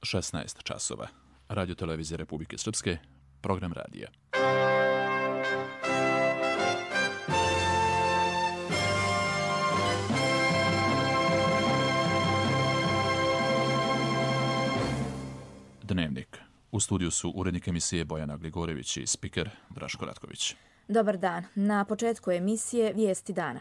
16 časova. Radio televizije Republike Srpske, program radija. Dnevnik. U studiju su urednik emisije Bojana Gligorević i spiker Draško Ratković. Dobar dan. Na početku emisije Vijesti dana.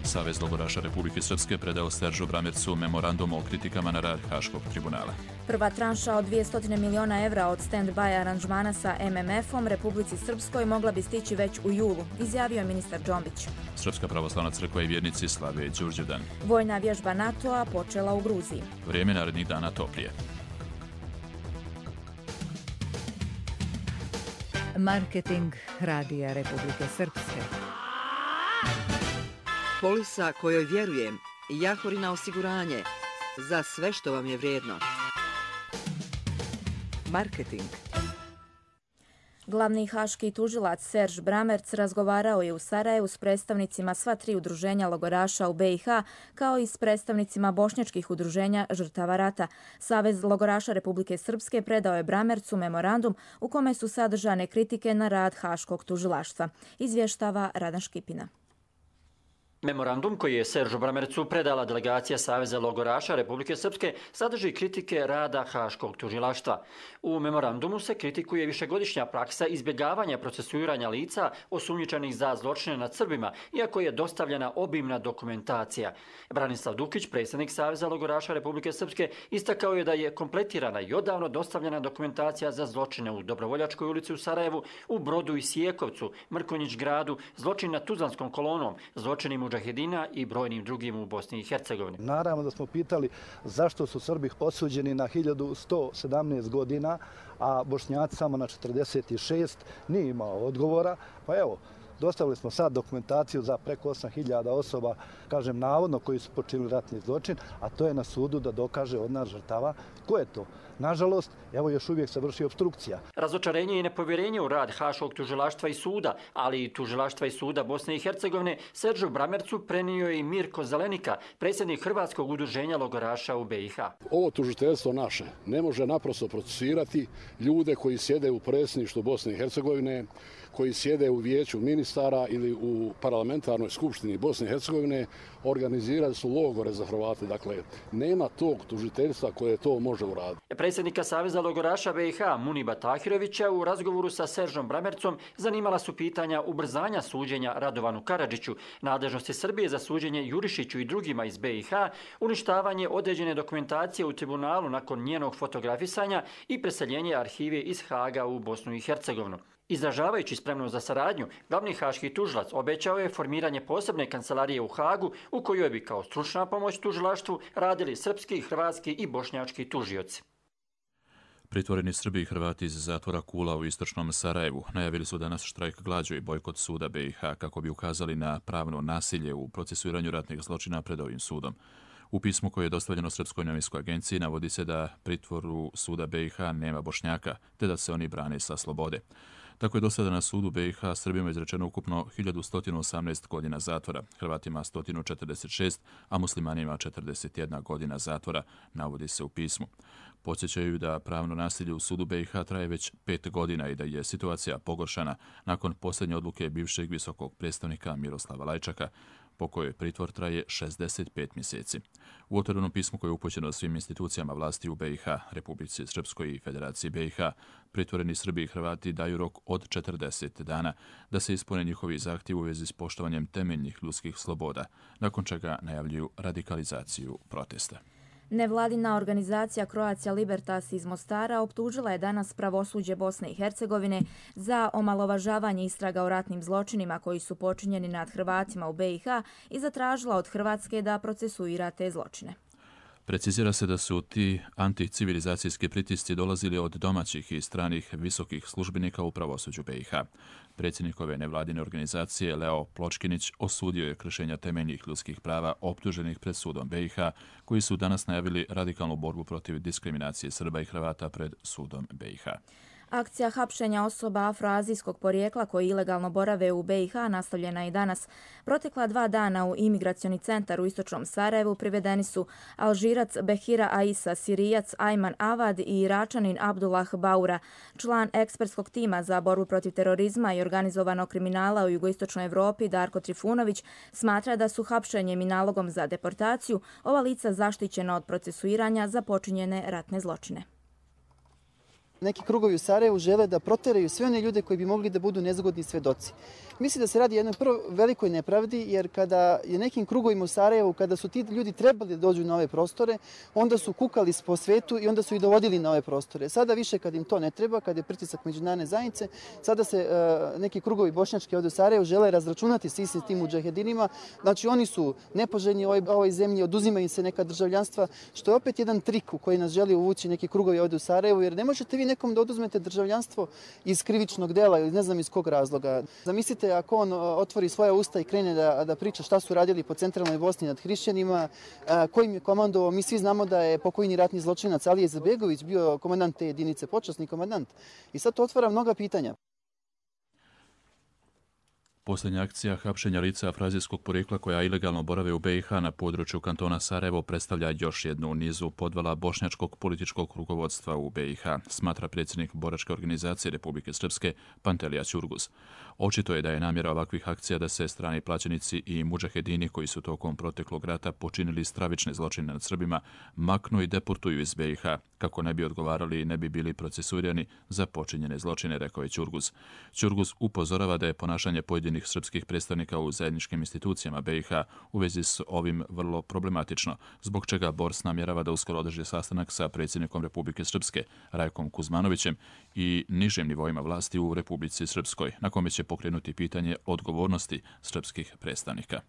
Savez logoraša Republike Srpske predao Seržu Bramercu memorandum o kritikama na rad Haškog tribunala. Prva tranša od 200 miliona evra od stand-by aranžmana sa MMF-om Republici Srpskoj mogla bi stići već u julu, izjavio je ministar Džombić. Srpska pravoslavna crkva i vjernici slave Đurđevdan. Vojna vježba NATO-a počela u Gruziji. Vrijeme narednih dana toplije. Marketing Radija Republike Srpske. Polisa kojoj vjerujem, Jahorina osiguranje, za sve što vam je vrijedno. Marketing. Glavni haški tužilac Serž Bramerc razgovarao je u Sarajevu s predstavnicima sva tri udruženja logoraša u BiH, kao i s predstavnicima bošnjačkih udruženja žrtava rata. Savez logoraša Republike Srpske predao je Bramercu memorandum u kome su sadržane kritike na rad haškog tužilaštva, izvještava Radan Škipina. Memorandum koji je Seržu Bramercu predala delegacija Saveza logoraša Republike Srpske sadrži kritike rada Haškog tužilaštva. U memorandumu se kritikuje višegodišnja praksa izbjegavanja procesuiranja lica osumnjičenih za zločine nad Srbima, iako je dostavljena obimna dokumentacija. Branislav Dukić, predsjednik Saveza logoraša Republike Srpske, istakao je da je kompletirana i odavno dostavljena dokumentacija za zločine u Dobrovoljačkoj ulici u Sarajevu, u Brodu i Sijekovcu, Mrkonjić gradu, zločin nad Tuzlanskom kolonom, zločini mudžahedina i brojnim drugim u Bosni i Hercegovini. Naravno da smo pitali zašto su Srbi osuđeni na 1117 godina, a Bošnjaci samo na 46, nije imao odgovora. Pa evo, dostavili smo sad dokumentaciju za preko 8000 osoba, kažem navodno, koji su počinili ratni zločin, a to je na sudu da dokaže od nas žrtava ko je to. Nažalost, evo još uvijek se vrši opstrukcija. Razočarenje i nepovjerenje u rad Haškog tužilaštva i suda, ali i tužilaštva i suda Bosne i Hercegovine, Seržu Bramercu prenio je i Mirko Zelenika, predsjednik Hrvatskog udruženja logoraša u BiH. Ovo tužiteljstvo naše ne može naprosto procesirati ljude koji sjede u predsjedništvu Bosne i Hercegovine, koji sjede u vijeću ministara ili u parlamentarnoj skupštini Bosne i Hercegovine, organizirali su logore za Hrvate. Dakle, nema tog tužiteljstva koje to može uraditi. Predsjednika Saveza logoraša BiH Muniba Tahirovića u razgovoru sa Seržom Bramercom zanimala su pitanja ubrzanja suđenja Radovanu Karadžiću, nadležnosti Srbije za suđenje Jurišiću i drugima iz BiH, uništavanje određene dokumentacije u tribunalu nakon njenog fotografisanja i preseljenje arhive iz Haga u Bosnu i Hercegovinu. Izražavajući spremnost za saradnju, glavni haški tužilac obećao je formiranje posebne kancelarije u Hagu u kojoj bi kao stručna pomoć tužilaštvu radili srpski, hrvatski i bošnjački tužioci. Pritvoreni Srbi i Hrvati iz zatvora Kula u istočnom Sarajevu najavili su danas štrajk glađu i bojkot suda BiH kako bi ukazali na pravno nasilje u procesuiranju ratnih zločina pred ovim sudom. U pismu koje je dostavljeno Srpskoj novinskoj agenciji navodi se da pritvoru suda BiH nema Bošnjaka, te da se oni brane sa slobode. Tako je do sada na sudu BiH Srbima izrečeno ukupno 1118 godina zatvora, Hrvatima 146, a muslimanima 41 godina zatvora, navodi se u pismu. Podsjećaju da pravno nasilje u sudu BiH traje već 5 godina i da je situacija pogoršana nakon posljednje odluke bivšeg visokog predstavnika Miroslava Lajčaka, po kojoj pritvor traje 65 mjeseci. U otvorenom pismu koje je upućeno svim institucijama vlasti u BiH, Republici Srpskoj i Federaciji BiH, pritvoreni Srbi i Hrvati daju rok od 40 dana da se ispune njihovi zahtjevi u vezi s poštovanjem temeljnih ljudskih sloboda, nakon čega najavljuju radikalizaciju protesta. Nevladina organizacija Croatia Libertas iz Mostara optužila je danas pravosuđe Bosne i Hercegovine za omalovažavanje istraga o ratnim zločinima koji su počinjeni nad Hrvatima u BiH i zatražila od Hrvatske da procesuira te zločine. Precizira se da su ti anticivilizacijski pritisci dolazili od domaćih i stranih visokih službenika u pravosuđu BiH. Predsjednik ove nevladine organizacije Leo Pločkinić osudio je kršenja temeljnih ljudskih prava optuženih pred sudom BiH, koji su danas najavili radikalnu borbu protiv diskriminacije Srba i Hrvata pred sudom BiH. Akcija hapšenja osoba afroazijskog porijekla koji ilegalno borave u BiH nastavljena i danas. Protekla 2 dana u imigracioni centar u istočnom Sarajevu privedeni su Alžirac Behira Aisa, Sirijac Ajman Avad i Iračanin Abdullah Baura. Član ekspertskog tima za borbu protiv terorizma i organizovanog kriminala u jugoistočnoj Evropi Darko Trifunović smatra da su hapšenjem i nalogom za deportaciju ova lica zaštićena od procesuiranja za počinjene ratne zločine. Neki krugovi u Sarajevu žele da proteraju sve one ljude koji bi mogli da budu nezgodni svedoci. Mislim da se radi o jednoj prvo velikoj nepravdi, jer kada je nekim krugovima u Sarajevu, kada su ti ljudi trebali da dođu na ove prostore, onda su kukali po svetu i onda su ih dovodili na ove prostore. Sada više kad im to ne treba, kad je pritisak međunarodne zajednice, sada se neki krugovi bošnjački ovdje u Sarajevu žele razračunati s istim tim mudžahedinima. Znači oni su nepoželjni u ovoj zemlji, oduzimaju im se neka državljanstva, što je opet jedan trik u koji nas želi uvući neki krugovi ovdje u Sarajevu, jer ne možete vi nekom da oduzmete državljanstvo iz krivičnog dela ili ne znam iz kog razloga. Zamislite ako on otvori svoja usta i krene da priča šta su radili po centralnoj Bosni nad hrišćanima, kojim je komandovao. Mi svi znamo da je pokojni ratni zločinac Alija Izetbegović bio komandant te jedinice, počasni komandant. I sad to otvara mnoga pitanja. Posljednja akcija hapšenja lica afroazijskog porijekla koja ilegalno borave u BiH na području kantona Sarajevo predstavlja još jednu u nizu podvala bošnjačkog političkog rukovodstva u BiH, smatra predsjednik boračke organizacije Republike Srpske Pantelija Ćurguz. Očito je da je namjera ovakvih akcija da se strani plaćenici i mudžahedini koji su tokom proteklog rata počinili stravične zločine nad Srbima maknu i deportuju iz BiH kako ne bi odgovarali i ne bi bili procesuirani za počinjene zločine, rekao je Ćurguz. Ćurguz upozorava da je ponašanje pojedinih srpskih predstavnika u zajedničkim institucijama BiH u vezi s ovim vrlo problematično, zbog čega Bors namjerava da uskoro održi sastanak sa predsjednikom Republike Srpske Rajkom Kuzmanovićem i nižim nivoima vlasti u Republici Srpskoj, na kome će pokrenuti pitanje odgovornosti srpskih predstavnika.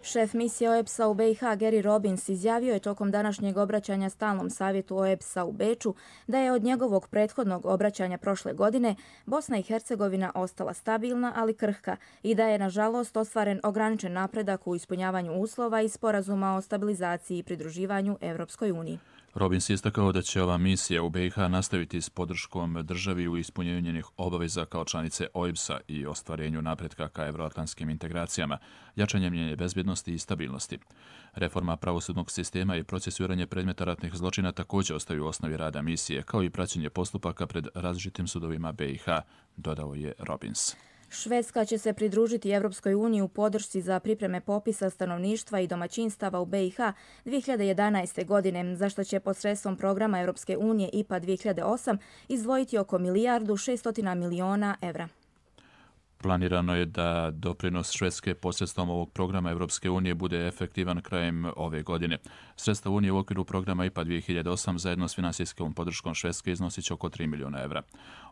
Šef misije OEBS-a u BiH Gary Robbins izjavio je tokom današnjeg obraćanja stalnom savjetu OEBS-a u Beču da je od njegovog prethodnog obraćanja prošle godine Bosna i Hercegovina ostala stabilna, ali krhka i da je nažalost ostvaren ograničen napredak u ispunjavanju uslova i sporazuma o stabilizaciji i pridruživanju Evropskoj uniji. Robbins je istakao da će ova misija u BiH nastaviti s podrškom državi u ispunjenju njenih obaveza kao članice OEBS-a i ostvarenju napretka ka evroatlantskim integracijama, jačanjem njene bezbjednosti i stabilnosti. Reforma pravosudnog sistema i procesuiranje predmeta ratnih zločina također ostaju u osnovi rada misije, kao i praćenje postupaka pred različitim sudovima BiH, dodao je Robbins. Švedska će se pridružiti Evropskoj uniji u podršci za pripreme popisa stanovništva i domaćinstava u BiH 2011. godine, za što će posredstvom programa Evropske unije IPA 2008 izdvojiti oko 1,6 milijardi evra. Planirano je da doprinos Švedske posredstvom ovog programa Evropske unije bude efektivan krajem ove godine. Sredstva Unije u okviru programa IPA 2008 zajedno s finansijskom podrškom Švedske iznosit će oko 3 milijuna evra.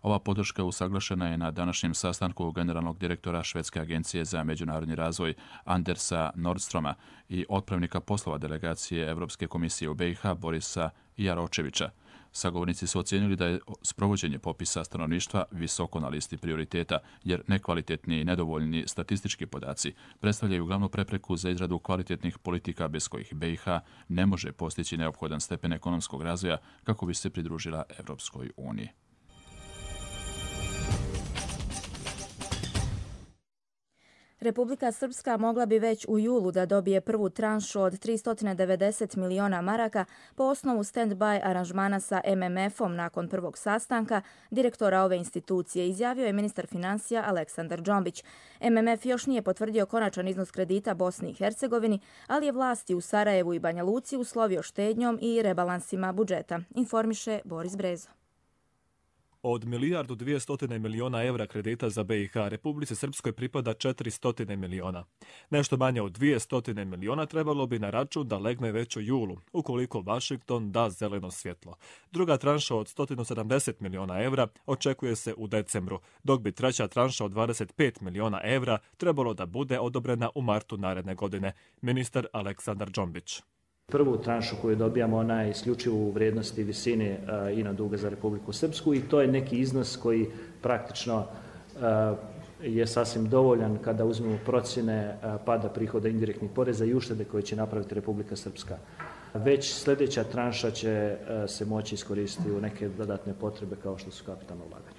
Ova podrška usaglašena je na današnjem sastanku generalnog direktora Švedske agencije za međunarodni razvoj Andersa Nordstroma i otpravnika poslova delegacije Evropske komisije u BiH Borisa Jaročevića. Sagovornici su ocijenili da je sprovođenje popisa stanovništva visoko na listi prioriteta, jer nekvalitetni i nedovoljni statistički podaci predstavljaju glavnu prepreku za izradu kvalitetnih politika bez kojih BiH ne može postići neophodan stepen ekonomskog razvoja kako bi se pridružila Evropskoj uniji. Republika Srpska mogla bi već u julu da dobije prvu tranšu od 390 miliona maraka po osnovu stand-by aranžmana sa MMF-om nakon prvog sastanka direktora ove institucije, izjavio je ministar financija Aleksandar Džombić. MMF još nije potvrdio konačan iznos kredita Bosni i Hercegovini, ali je vlasti u Sarajevu i Banja Luci uslovio štednjom i rebalansima budžeta, informiše Boris Brezo. Od 1,2 milijarde evra kredita za BiH Republici Srpskoj pripada 400 miliona. Nešto manje od 200 miliona trebalo bi na račun da legne već u julu, ukoliko Washington da zeleno svjetlo. Druga tranša od 170 miliona evra očekuje se u decembru, dok bi treća tranša od 25 miliona evra trebalo da bude odobrena u martu naredne godine, ministar Aleksandar Džombić. Prvu tranšu koju dobijamo, ona je isključivo u vrijednosti visine ino duga za Republiku Srpsku i to je neki iznos koji praktično je sasvim dovoljan kada uzmemo procjene pada prihoda indirektnih poreza i uštede koje će napraviti Republika Srpska. Već sljedeća tranša će se moći iskoristiti u neke dodatne potrebe kao što su kapitalno ulaganje.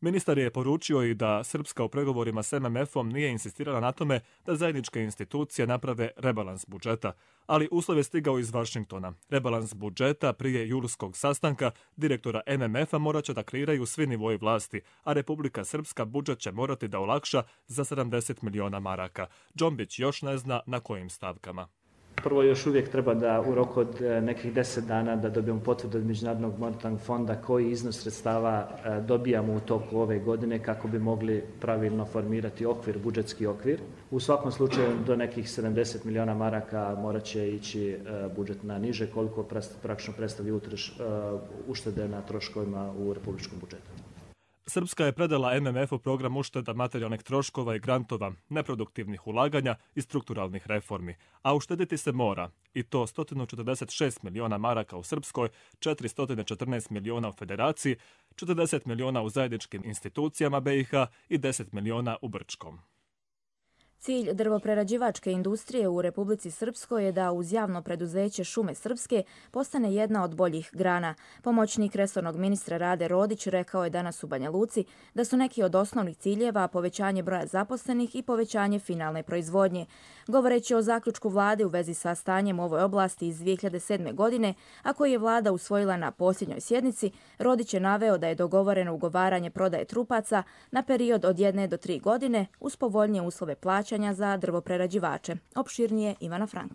Ministar je poručio i da Srpska u pregovorima s MMF-om nije insistirala na tome da zajedničke institucije naprave rebalans budžeta, ali uslov je stigao iz Vašingtona. Rebalans budžeta prije julskog sastanka direktora MMF-a morat će da kreiraju svi nivoji vlasti, a Republika Srpska budžet će morati da olakša za 70 miliona maraka. Džombić još ne zna na kojim stavkama. Prvo, još uvijek treba da u roku od nekih 10 dana da dobijemo potvrdu od Međunarodnog monetarnog fonda koji iznos sredstava dobijamo u toku ove godine kako bi mogli pravilno formirati okvir, budžetski okvir. U svakom slučaju do nekih 70 miliona maraka morat će ići budžet na niže, koliko praktično predstavlja uštede na troškovima u republičkom budžetu. Srpska je predala MMF-u program ušteda materijalnih troškova i grantova, neproduktivnih ulaganja i strukturalnih reformi, a uštediti se mora, i to 146 miliona maraka u Srpskoj, 414 miliona u Federaciji, 40 miliona u zajedničkim institucijama BiH i 10 miliona u Brčkom. Cilj drvoprerađivačke industrije u Republici Srpskoj je da uz javno preduzeće Šume Srpske postane jedna od boljih grana. Pomoćnik resornog ministra Rade Rodić rekao je danas u Banja Luci da su neki od osnovnih ciljeva povećanje broja zaposlenih i povećanje finalne proizvodnje. Govoreći o zaključku vlade u vezi sa stanjem u ovoj oblasti iz 2007. godine, a koji je vlada usvojila na posljednjoj sjednici, Rodić je naveo da je dogovoreno ugovaranje prodaje trupaca na period od 1 do 3 godine uz povoljnije uslove plaćanja za drvoprerađivače. Opširnije Ivana Frank.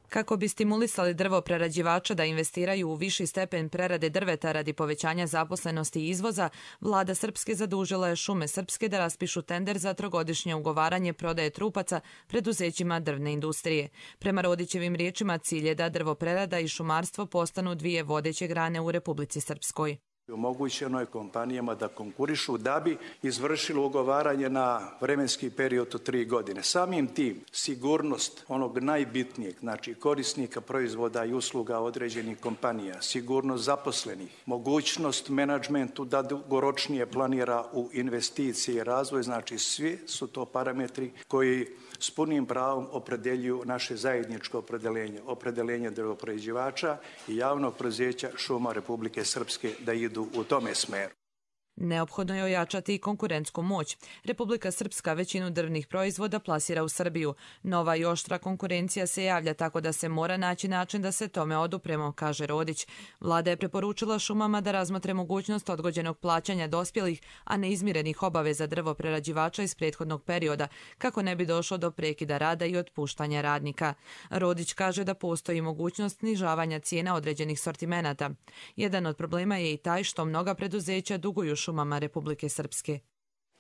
Kako bi stimulisali drvoprerađivača da investiraju u viši stepen prerade drveta radi povećanja zaposlenosti i izvoza, vlada Srpske zadužila je Šume Srpske da raspišu tender za trogodišnje ugovaranje prodaje trupaca preduzećima drvne industrije. Prema Rodićevim riječima, cilj je da drvoprerada i šumarstvo postanu dvije vodeće grane u Republici Srpskoj. Omogućeno je kompanijama da konkurišu da bi izvršilo ugovaranje na vremenski period od 3 godine. Samim tim sigurnost onog najbitnijeg, znači korisnika proizvoda i usluga određenih kompanija, sigurnost zaposlenih, mogućnost menadžmentu da dugoročnije planira u investicije i razvoj, znači svi su to parametri koji s punim pravom opredeljuju naše zajedničko opredeljenje drvoprerađivača i javnog preduzeća Šuma Republike Srpske da idu u tome smeru. Neophodno je ojačati i konkurentsku moć. Republika Srpska većinu drvnih proizvoda plasira u Srbiju. Nova i oštra konkurencija se javlja, tako da se mora naći način da se tome odupremo, kaže Rodić. Vlada je preporučila šumama da razmotre mogućnost odgođenog plaćanja dospjelih, a neizmirenih obaveza drvoprerađivača iz prethodnog perioda, kako ne bi došlo do prekida rada i otpuštanja radnika. Rodić kaže da postoji mogućnost snižavanja cijena određenih sortimenata. Jedan od problema je i taj što mnoga preduzeća duguju šumama Republike Srpske.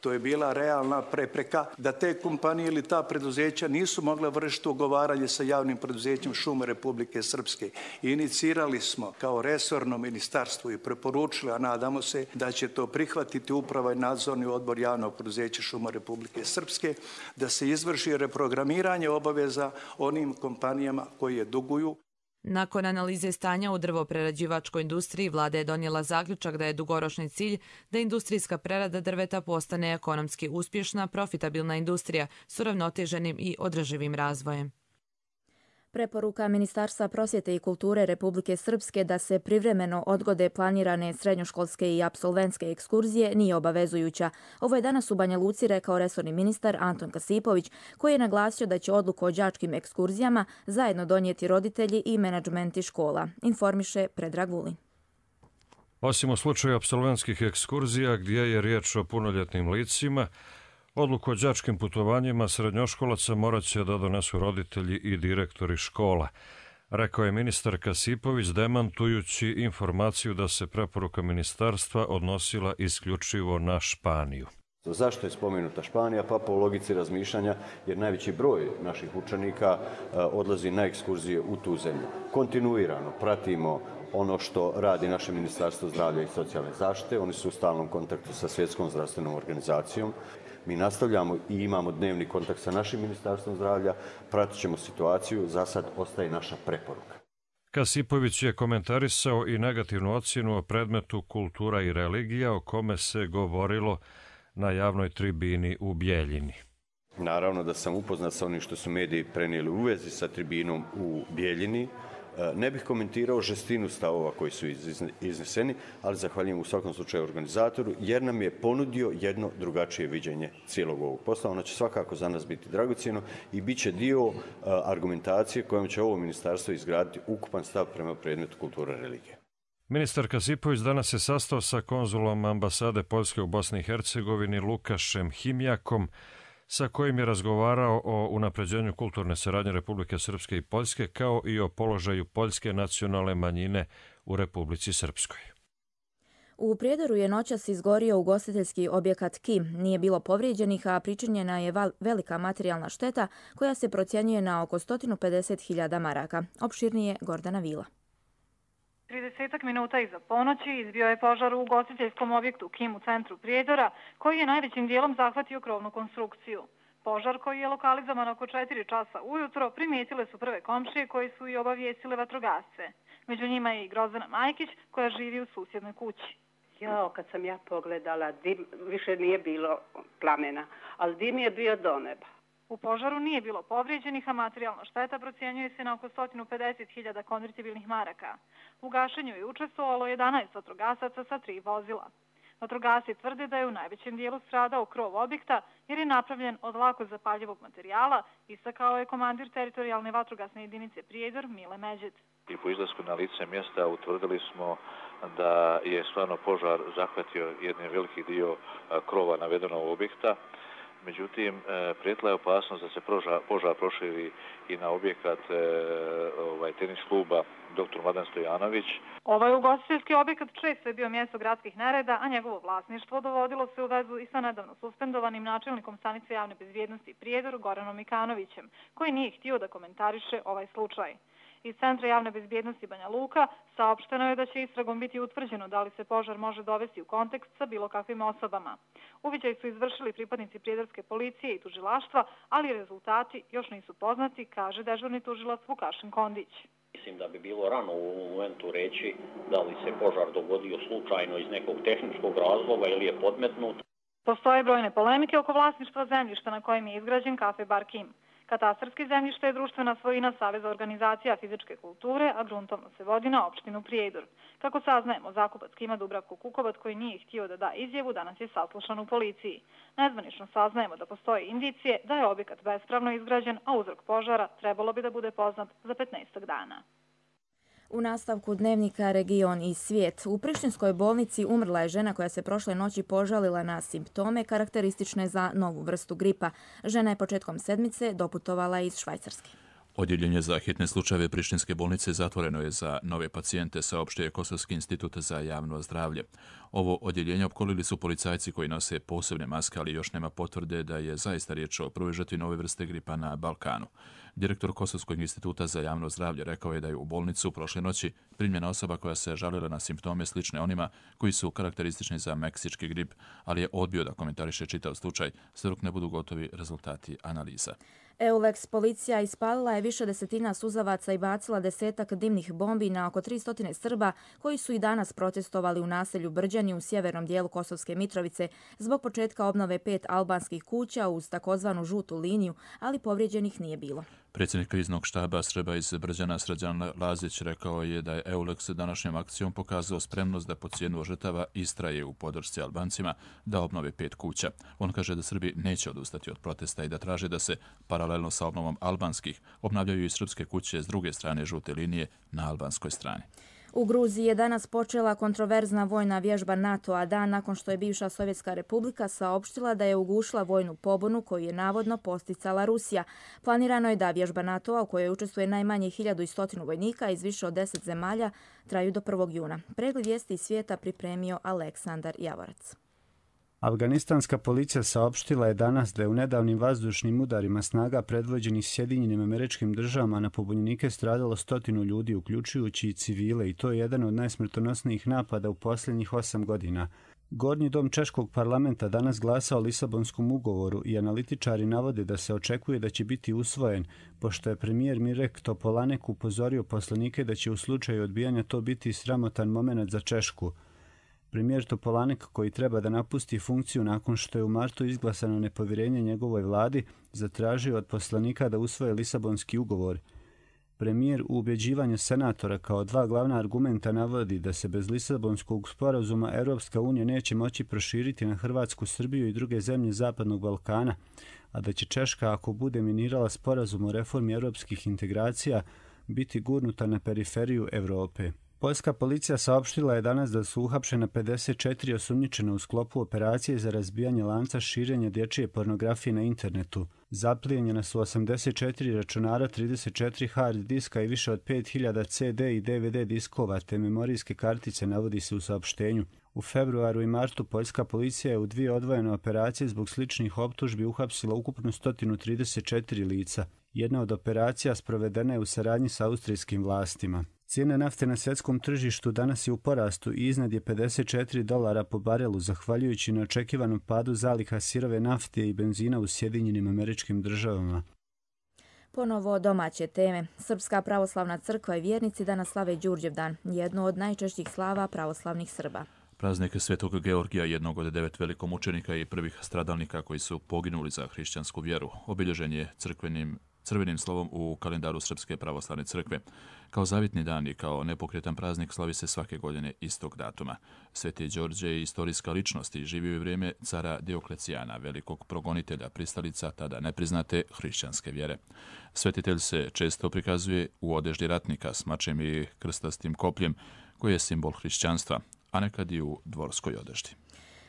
To je bila realna prepreka da te kompanije ili ta preduzeća nisu mogla vršiti ugovaranje sa javnim preduzećem Šume Republike Srpske. Inicirali smo kao resorno ministarstvo i preporučili, a nadamo se da će to prihvatiti uprava i nadzorni odbor javnog preduzeća Šuma Republike Srpske, da se izvrši reprogramiranje obaveza onim kompanijama koje duguju. Nakon analize stanja u drvoprerađivačkoj industriji, vlada je donijela zaključak da je dugoročni cilj da industrijska prerada drveta postane ekonomski uspješna, profitabilna industrija s uravnoteženim i održivim razvojem. Preporuka Ministarstva prosvjete i kulture Republike Srpske da se privremeno odgode planirane srednjoškolske i apsolventske ekskurzije nije obavezujuća. Ovo je danas u Banja Luci rekao resorni ministar Anton Kasipović, koji je naglasio da će odluku o đačkim ekskurzijama zajedno donijeti roditelji i menadžmenti škola. Informiše Predrag Vulin. Osim u slučaju apsolventskih ekskurzija gdje je riječ o punoljetnim licima, odluku o đačkim putovanjima srednjoškolaca morat će da donesu roditelji i direktori škola, rekao je ministar Kasipović demantujući informaciju da se preporuka ministarstva odnosila isključivo na Španiju. Zašto je spomenuta Španija? Pa po logici razmišljanja, jer najveći broj naših učenika odlazi na ekskurzije u tu zemlju. Kontinuirano pratimo ono što radi naše Ministarstvo zdravlja i socijalne zaštite. Oni su u stalnom kontaktu sa Svjetskom zdravstvenom organizacijom. Mi nastavljamo i imamo dnevni kontakt sa našim Ministarstvom zdravlja, pratit ćemo situaciju, za sad ostaje naša preporuka. Kasipović je komentarisao i negativnu ocjenu o predmetu kultura i religija o kome se govorilo na javnoj tribini u Bijeljini. Naravno da sam upoznat sa onim što su mediji prenijeli u vezi sa tribinom u Bijeljini. Ne bih komentirao žestinu stavova koji su izneseni, ali zahvaljujem u svakom slučaju organizatoru jer nam je ponudio jedno drugačije viđenje cijelog ovog posla. Ono će svakako za nas biti dragocjeno i bit će dio argumentacije kojom će ovo ministarstvo izgraditi ukupan stav prema predmetu kulture i religije. Ministar Kasipović danas se sastao sa konzulom ambasade Poljske u Bosni i Hercegovini Lukašem Himjakom, sa kojim je razgovarao o unapređenju kulturne saradnje Republike Srpske i Poljske, kao i o položaju poljske nacionalne manjine u Republici Srpskoj. U Prijedoru je noćas izgorio ugostiteljski objekat KI. Nije bilo povrijeđenih, a pričinjena je velika materijalna šteta koja se procjenjuje na oko 150.000 maraka. Opširnije Gordana Vila. 30 minuta iza ponoći izbio je požar u ugostiteljskom objektu KIM u centru Prijedora, koji je najvećim dijelom zahvatio krovnu konstrukciju. Požar, koji je lokalizovan oko 4 časa ujutro, primijetile su prve komšije koji su i obavijestile vatrogasce. Među njima je i Grozdana Majkić, koja živi u susjednoj kući. Kad sam ja pogledala, dim, više nije bilo plamena, ali dim je bio do neba. U požaru nije bilo povrijeđenih, a materijalna šteta procjenjuje se na oko 150.000 konvertibilnih maraka. U gašenju je učestvovalo 11 vatrogasaca sa 3 vozila. Vatrogasci tvrde da je u najvećem dijelu stradao krov objekta jer je napravljen od lako zapaljivog materijala, istakao je komandir teritorijalne vatrogasne jedinice Prijedor Mile Međed. I po izlasku na lice mjesta utvrdili smo da je stvarno požar zahvatio jedan veliki dio krova navedenog objekta. Međutim, prijetila je opasnost da se požar proširi i na objekat tenis kluba dr. Mladen Stojanović. Ovaj ugostiteljski objekat često je bio mjesto gradskih nereda, a njegovo vlasništvo dovodilo se u vezu i sa nedavno suspendovanim načelnikom stanice javne bezbjednosti Prijedor Goranom Mikanovićem, koji nije htio da komentariše ovaj slučaj. Iz Centra javne bezbjednosti Banja Luka saopšteno je da će istragom biti utvrđeno da li se požar može dovesti u kontekst sa bilo kakvim osobama. Uviđaj su izvršili pripadnici prijedorske policije i tužilaštva, ali rezultati još nisu poznati, kaže dežurni tužilac Vukašin Kondić. Mislim da bi bilo rano u ovom momentu reći da li se požar dogodio slučajno iz nekog tehničkog razloga ili je podmetnut. Postoje brojne polemike oko vlasništva zemljišta na kojem je izgrađen kafe Bar Kim. Katastarski zemljište je društvena svojina Saveza organizacija fizičke kulture, a gruntovno se vodi na opštinu Prijedor. Kako saznajemo, zakupac Kima Dubravko Kukovac, koji nije htio da da izjavu, danas je saslušan u policiji. Nezvanično saznajemo da postoje indicije da je objekat bespravno izgrađen, a uzrok požara trebalo bi da bude poznat za 15 dana. U nastavku dnevnika Region i svijet. U Prištinskoj bolnici umrla je žena koja se prošle noći požalila na simptome karakteristične za novu vrstu gripa. Žena je početkom sedmice doputovala iz Švajcarske. Odjeljenje za hitne slučajeve Prištinske bolnice zatvoreno je za nove pacijente, saopštio je Kosovski institut za javno zdravlje. Ovo odjeljenje opkolili su policajci koji nose posebne maske, ali još nema potvrde da je zaista riječ o prvoj žrtvi nove vrste gripa na Balkanu. Direktor Kosovskog instituta za javno zdravlje rekao je da je u bolnicu prošle noći primljena osoba koja se žalila na simptome slične onima koji su karakteristični za meksički grip, ali je odbio da komentariše čitav slučaj sve dok ne budu gotovi rezultati analiza. EULEX policija ispalila je više desetina suzavaca i bacila desetak dimnih bombi na oko 300 Srba koji su i danas protestovali u naselju Brđani u sjevernom dijelu Kosovske Mitrovice zbog početka obnove 5 albanskih kuća uz takozvanu žutu liniju, ali povrijeđenih nije bilo. Predsjednik kriznog štaba Srba iz Brđana Srđan Lazić rekao je da je EULEX današnjom akcijom pokazao spremnost da po cijenu žrtava istraje u podršci Albancima da obnove 5 kuća. On kaže da Srbi neće odustati od protesta i da traže da se paralelno sa obnovom albanskih obnavljaju i srpske kuće s druge strane žute linije na albanskoj strani. U Gruziji je danas počela kontroverzna vojna vježba NATO-a dan nakon što je bivša Sovjetska republika saopštila da je ugušila vojnu pobunu koju je navodno posticala Rusija. Planirano je da vježba NATO-a u kojoj učestvuje najmanje 1100 vojnika iz više od 10 zemalja traju do 1. juna. Pregled vijesti iz svijeta pripremio Aleksandar Javorac. Afganistanska policija saopštila je danas da je u nedavnim vazdušnim udarima snaga predvođenih Sjedinjenim Američkim Državama na pobunjenike stradalo 100 ljudi, uključujući i civile, i to je jedan od najsmrtonosnijih napada u posljednjih 8 godina. Gornji dom Češkog parlamenta danas glasa o Lisabonskom ugovoru i analitičari navode da se očekuje da će biti usvojen, pošto je premijer Mirek Topolanek upozorio poslanike da će u slučaju odbijanja to biti sramotan moment za Češku. Premijer Topolanek, koji treba da napusti funkciju nakon što je u martu izglasano nepovjerenje njegovoj vladi, zatražio od poslanika da usvoje Lisabonski ugovor. Premijer u ubjeđivanju senatora kao dva glavna argumenta navodi da se bez Lisabonskog sporazuma Europska unija neće moći proširiti na Hrvatsku, Srbiju i druge zemlje Zapadnog Balkana, a da će Češka, ako bude minirala sporazum o reformi europskih integracija, biti gurnuta na periferiju Europe. Poljska policija saopštila je danas da su uhapšena 54 osumnjičena u sklopu operacije za razbijanje lanca širenja dječje pornografije na internetu. Zaplijenjena su 84 računara, 34 hard diska i više od 5000 CD i DVD diskova te memorijske kartice, navodi se u saopštenju. U februaru i martu poljska policija je u 2 odvojene operacije zbog sličnih optužbi uhapsila ukupno 134 lica. Jedna od operacija sprovedena je u saradnji sa austrijskim vlastima. Cijena nafte na svjetskom tržištu danas je u porastu i iznad je $54 po barelu, zahvaljujući neočekivanom padu zaliha sirove nafte i benzina u Sjedinjenim Američkim Državama. Ponovo domaće teme. Srpska pravoslavna crkva i vjernici danas slave Đurđevdan, jednu od najčešćih slava pravoslavnih Srba. Praznik Svetog Georgija, jednog od 9 velikomučenika i prvih stradalnika koji su poginuli za hrišćansku vjeru, obilježen je crvenim slovom u kalendaru Srpske pravoslavne crkve. Kao zavitni dan i kao nepokretan praznik slavi se svake godine istog datuma. Sveti Đorđe je istorijska ličnost i živio je u vrijeme cara Dioklecijana, velikog progonitelja pristalica tada nepriznate hrišćanske vjere. Svetitelj se često prikazuje u odeždi ratnika s mačem i krstastim kopljem, koji je simbol hrišćanstva, a nekad i u dvorskoj odeždi.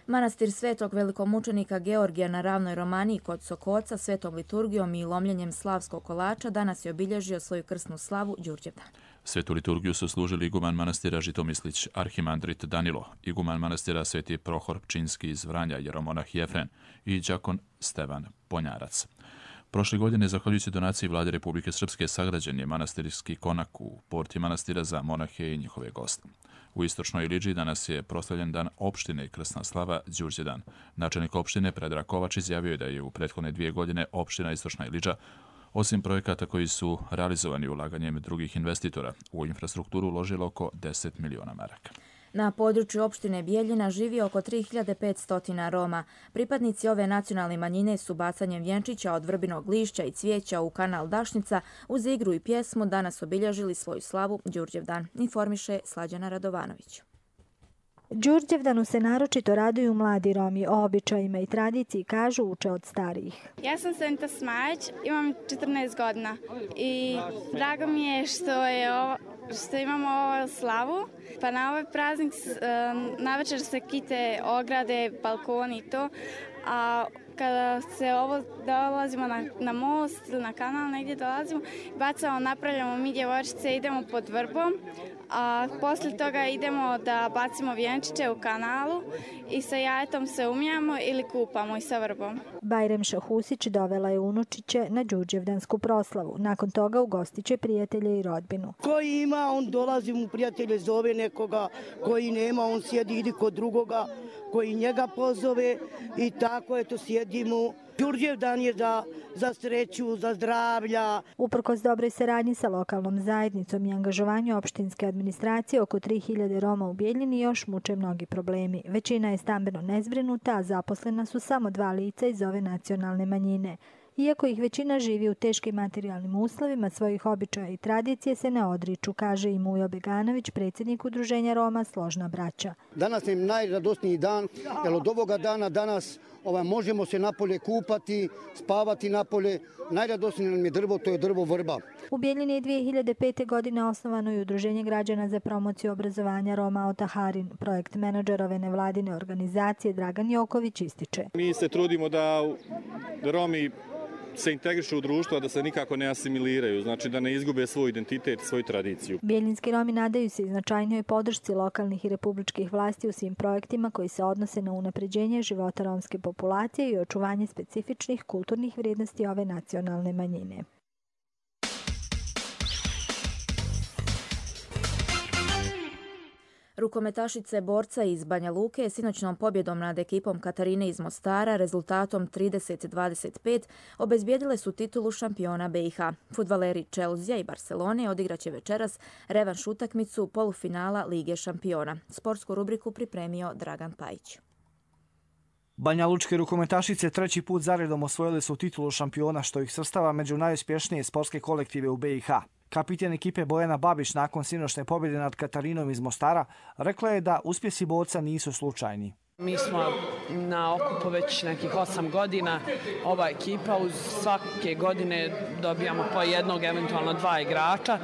Manastir svetog velikomučenika Georgija na ravnoj Romaniji kod Sokoca svetom liturgijom i lomljenjem slavskog kolača danas je obilježio svoju krsnu slavu Đurđevdan. Svetu liturgiju su služili iguman manastira Žitomislić arhimandrit Danilo, iguman manastira Sveti Prohor Pčinski iz Vranja, jeromonah Jefren i đakon Stevan Ponjarac. Prošle godine, zahvaljujući donaciji Vlade Republike Srpske, sagrađen je manastirski konak u porti manastira za monahe i njihove goste. U istočnoj Iliđi danas je proslavljen dan opštine i krsna slava Đurđevdan. Načelnik opštine Predrag Kovač izjavio je da je u prethodne 2 godine opština Istočna Iliđa, osim projekata koji su realizovani ulaganjem drugih investitora, u infrastrukturu uložilo oko 10 miliona maraka. Na području opštine Bijeljina živi oko 3500 Roma. Pripadnici ove nacionalne manjine su bacanjem vjenčića od vrbinog lišća i cvijeća u kanal Dašnica uz igru i pjesmu danas obilježili svoju slavu Đurđevdan, informiše Slađana Radovanović. Đurđevdanu se naročito raduju mladi Romi, o običajima i tradiciji kažu uče od starijih. Ja sam Senta Smajić, imam 14 godina i drago mi je što imamo ovu slavu. Pa na ovaj praznik navečer se kite ograde, balkoni i to, a kada se dolazimo na most, na kanal, negdje dolazimo, napravljamo mi djevojčice, idemo pod vrbom, a poslije toga idemo da bacimo vjenčiće u kanalu i sa jajetom se umijamo ili kupamo i sa vrbom. Bajrem Šahusić dovela je unučiće na Đurđevdansku proslavu. Nakon toga ugostiće prijatelje i rodbinu. Koji ima, on dolazi mu prijatelje, zove nekoga, koji nema, on sjedi, ide kod drugoga, koji njega pozove i tako eto sjedimo. Đurđevdan je za sreću, za zdravlja. Uprkos dobroj saradnji sa lokalnom zajednicom i angažovanju opštinske administracije, oko 3000 Roma u Bijeljini još muče mnogi problemi. Većina je stambeno nezbrinuta, a zaposlena su samo 2 lica iz ove nacionalne manjine. Iako ih većina živi u teškim materijalnim uslovima, svojih običaja i tradicije se ne odriču, kaže i Mujo Beganović, predsjednik udruženja Roma Složna braća. Danas je najradosniji dan, jer od ovoga dana danas možemo se napolje kupati, spavati napolje. Najradosnije nam je drvo, to je drvo vrba. U Bijeljini je 2005. godine osnovano i Udruženje građana za promociju obrazovanja Roma Otaharin. Projekt menadžer ove nevladine organizacije Dragan Joković ističe. Mi se trudimo da Romi se integrišu u društvo, da se nikako ne asimiliraju, znači da ne izgube svoj identitet, svoju tradiciju. Bijeljinski Romi nadaju se i značajnoj podršci lokalnih i republičkih vlasti u svim projektima koji se odnose na unapređenje života romske populacije i očuvanje specifičnih kulturnih vrijednosti ove nacionalne manjine. Rukometašice borca iz Banja Luke sinoćnom pobjedom nad ekipom Katarine iz Mostara rezultatom 30-25 obezbijedile su titulu šampiona BiH. Fudbaleri Chelsea i Barcelone odigraće večeras revanš utakmicu polufinala Lige šampiona. Sportsku rubriku pripremio Dragan Pajić. Banjalučke rukometašice 3. put zaredom osvojili su titulu šampiona, što ih svrstava među najuspješnije sportske kolektive u BiH. Kapiten ekipe Bojana Babić nakon sinoćne pobjede nad Katarinom iz Mostara rekla je da uspjesi borca nisu slučajni. Mi smo na okupu već nekih 8 godina. Ova ekipa uz svake godine dobijamo po jednog, eventualno 2 igrača.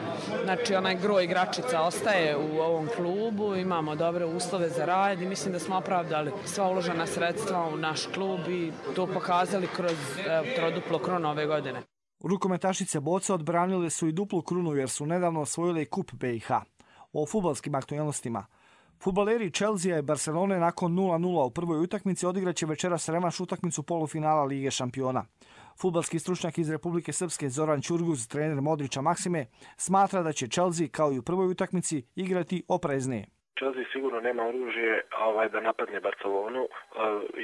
Znači onaj gro igračica ostaje u ovom klubu, imamo dobre uslove za rad i mislim da smo opravdali sva uložena sredstva u naš klub i to pokazali kroz troduplo krunu ove godine. Rukometašice Boca odbranile su i duplu krunu jer su nedavno osvojile kup BiH. O fudbalskim aktualnostima. Fudbaleri Chelsea i Barcelone nakon 0:0 u prvoj utakmici odigraće večeras revanš utakmicu polufinala Lige šampiona. Fudbalski stručnjak iz Republike Srpske Zoran Ćurguz, trener Modrića Maksime, smatra da će Chelsea kao i u prvoj utakmici igrati opreznije. Chelsea sigurno nema oružje da napadne Barcelonu.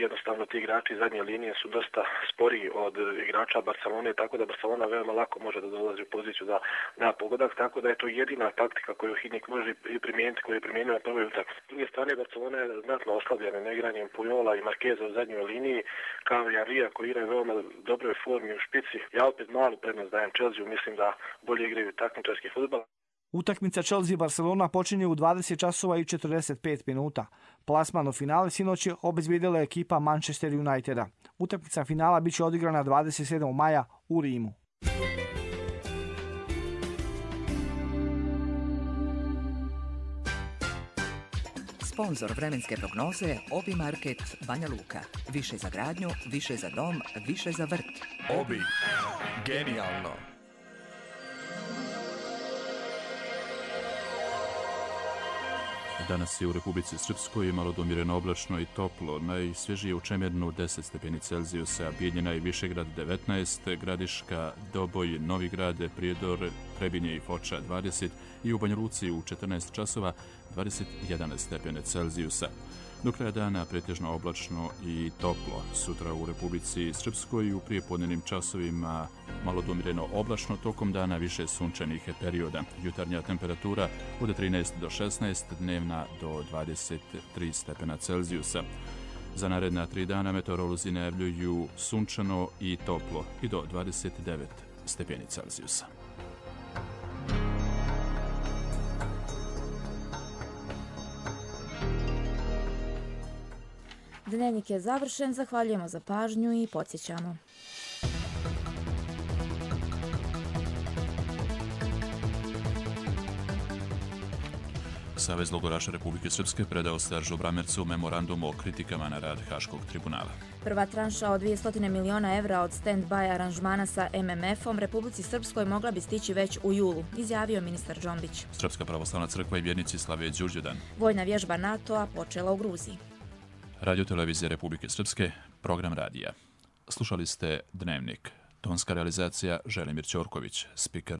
Jednostavno ti igrači zadnje linije su dosta sporiji od igrača Barcelone, tako da Barcelona veoma lako može da dolazi u poziciju da da pogodak, tako da je to jedina taktika koju Hidnik može primijeniti, koju je primijenio na prvoj utakmici. S druge strane, Barcelona je znatno oslabljena neigranjem Pujola i Markeza u zadnjoj liniji, kao i Arija koji igraju veoma dobroj formi u špici. Ja opet malu prednost dajem Chelsea, mislim da bolje igraju takmičarski fudbal. Utakmica Chelsea-Barcelona počinje u 20:45. Plasman u finale sinoć je obezbijedila ekipa Manchester Uniteda. Utakmica finala biće odigrana 27. maja u Rimu. Sponzor vremenske prognoze Obi Market Banja Luka. Više za gradnju, više za dom, više za vrt. Obi. Genijalno. Danas je u Republici Srpskoj malo domireno oblačno i toplo. Najsvježije u Čemernu 10 stepeni Celzijusa, Bijeljina i Višegrad 19, Gradiška, Doboj, Novigrad, Prijedor, Trebinje i Foča 20 i u Banja Luci u 14 časova 21 stepene Celzijusa. Do kraja dana pretežno oblačno i toplo. Sutra u Republici Srpskoj u prijepodnevnim časovima malo domireno oblačno, tokom dana više sunčanih perioda. Jutarnja temperatura od 13 do 16, dnevna do 23 stepena Celzijusa. Za naredna 3 dana meteorolozi najavljuju sunčano i toplo i do 29 stepeni Celzijusa. Dnevnik je završen, zahvaljujemo za pažnju i podsjećamo. Savez logoraša Republike Srpske predao Seržu Bramercu memorandum o kritikama na rad Haškog tribunala. Prva tranša od 200 miliona evra od stand-by aranžmana sa MMF-om Republici Srpskoj mogla bi stići već u julu, izjavio ministar Džombić. Srpska pravoslavna crkva i vjernici slave Đurđevdan. Vojna vježba NATO-a počela u Gruziji. Radio-televizija Republike Srpske, program radija. Slušali ste Dnevnik. Tonska realizacija Želimir Ćorković, spiker